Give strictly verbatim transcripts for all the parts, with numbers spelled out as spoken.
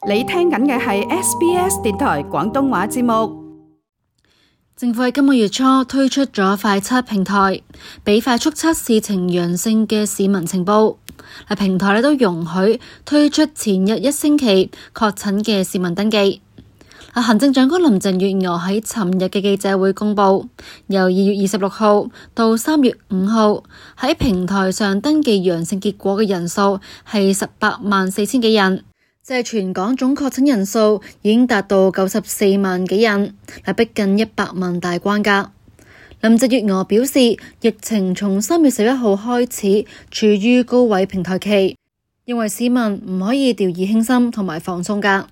你聽緊嘅係 S B S 電台廣東話節目。政府喺今個月初推出咗快測平台，俾快速測試呈陽性嘅市民呈報。平台咧都容許推出前日一星期確診嘅市民登記。行政長官林鄭月娥喺尋日嘅記者會公佈，由二月二十六號到三月五號喺平台上登記陽性結果嘅人數係十八萬四千幾人。即係全港總確診人數已經達到九十四萬幾人，係逼近一百萬大關㗎。林鄭月娥表示，疫情從三月十一號開始處於高位平台期，認為市民唔可以掉以輕心同埋放鬆㗎。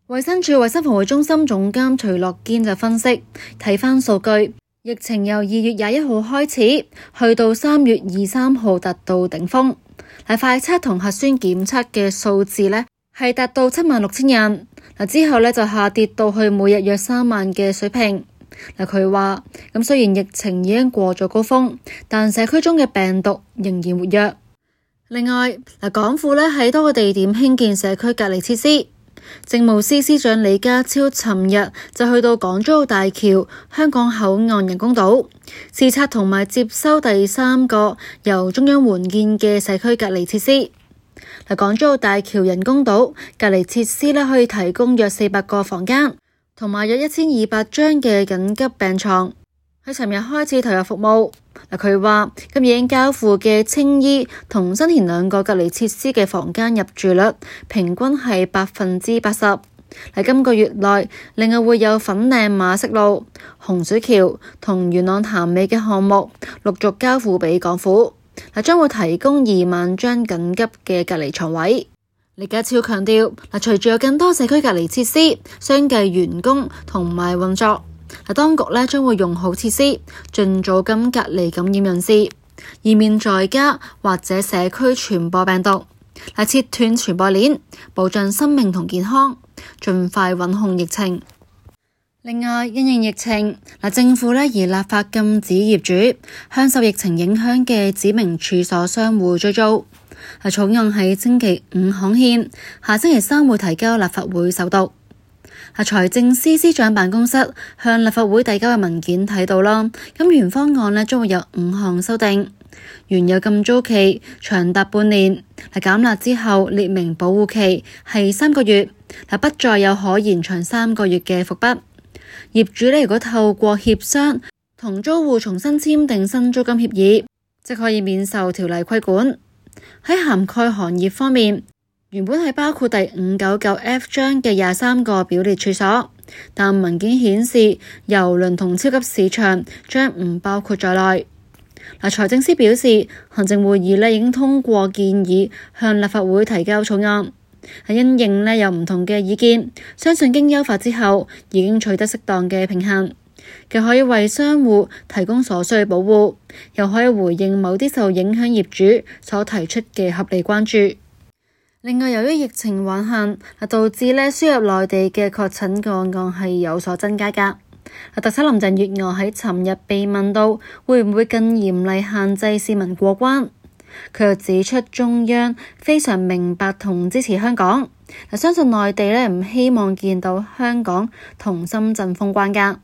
衛生署衛生防護中心總監徐樂堅就分析，睇返數據，疫情由二月廿一號開始，去到三月二三號達到頂峰，係快測同核酸檢測嘅數字呢，係達到七萬六千人，嗱之後咧就下跌到去每日約三萬嘅水平。嗱佢話咁雖然疫情已經過咗高峰，但社區中嘅病毒仍然活躍。另外嗱，港府咧喺多個地點興建社區隔離設施。政務司司長李家超尋日就去到港珠澳大橋香港口岸人工島視察同埋接收第三個由中央援建嘅社區隔離設施。港珠澳大橋人工島隔離設施咧，可以提供約四百個房間，同埋約一千二百張嘅緊急病床。喺尋日開始投入服務。嗱，佢話今日已經交付嘅青衣同新田兩個隔離設施嘅房間入住率平均係百分之八十。喺今個月內，另外會有粉嶺馬適路、洪水橋同元朗潭尾嘅項目陸續交付俾港府。嗱，將會提供二萬張緊急嘅隔離床位。李家超強調，嗱，隨住有更多社區隔離設施相繼完工同埋運作，嗱，當局咧將會用好設施，盡早咁隔離感染人士，以免在家或者社區傳播病毒。嗱，切斷傳播鏈，保障生命同健康，盡快穩控疫情。另外，因應疫情，政府咧而立法禁止業主向受疫情影響嘅指明處所商戶追租。草案喺星期五刊憲，下星期三會提交立法會首讀。財政司司長辦公室向立法會遞交嘅文件睇到啦，咁原方案咧將會有五項修訂，原有禁租期長達半年，減辣之後列明保護期係三個月，不再有可延長三個月嘅伏筆。業主咧如果透過協商同租戶重新簽訂新租金協議，即可以免受條例規管。喺涵蓋行業方面，原本係包括第五百九十九 F 章嘅廿三個表列處所，但文件顯示郵輪同超級市場將唔包括在內。嗱，財政司表示，行政會議咧已經通過建議向立法會提交草案。係因應咧有唔同嘅意見，相信經優化之後已經取得適當嘅平衡，既可以為商戶提供所需保護，又可以回應某啲受影響業主所提出嘅合理關注。另外，由於疫情橫行，導致咧輸入內地嘅確診個案係有所增加㗎。特首林鄭月娥喺尋日被問到會唔會更嚴厲限制市民過關，佢又指出中央非常明白同支持香港，相信內地咧唔希望見到香港同深圳封關㗎。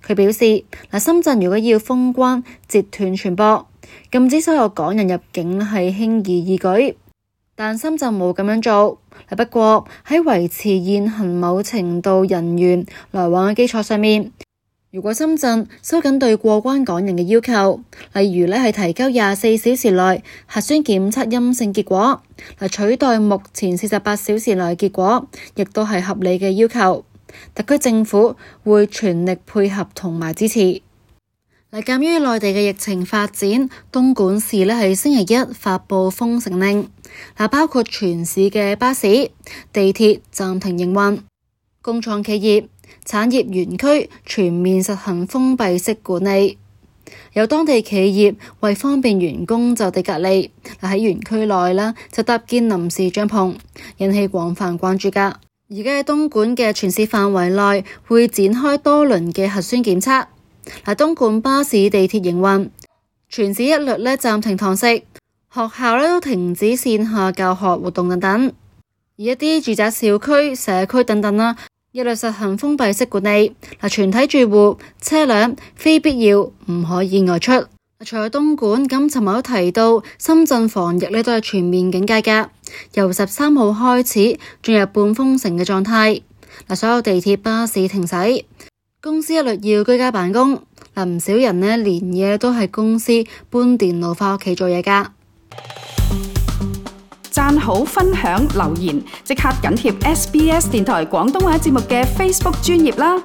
佢表示，深圳如果要封關截斷傳播，禁止所有港人入境係輕而易舉，但深圳冇咁樣做。不過喺維持現行某程度人員來往嘅基礎上面，如果深圳收緊對過關港人嘅要求，例如咧係提交廿四小時內核酸檢測陰性結果，嚟取代目前四十八小時內結果，亦都係合理嘅要求。特區政府會全力配合同埋支持。嗱，鑑於內地嘅疫情發展，東莞市咧係星期一發布封城令，嗱，包括全市嘅巴士、地鐵暫停營運，工廠企業、產業園區全面實行封閉式管理。有當地企業為方便員工就地隔離，喺園區內啦就搭建臨時帳篷，引起廣泛關注㗎。而家喺東莞嘅全市範圍內會展開多輪嘅核酸檢測。嗱，東莞巴士、地鐵營運，全市一律咧暫停堂食，學校咧都停止線下教學活動等等。而而一啲住宅小區、社區等等啦，一律實行封閉式管理。嗱，全體住戶、車輛非必要唔可以外出。除咗東莞，咁尋日都提到深圳防疫呢都係全面警戒㗎，由十三號開始進入半封城嘅狀態。嗱，所有地鐵、巴士停駛，公司一律要居家辦公。嗱，唔少人呢連夜都喺公司搬電腦返屋企做嘢㗎。讚好、分享、留言，即刻緊貼 S B S 電台廣東話節目嘅 Facebook 專頁啦！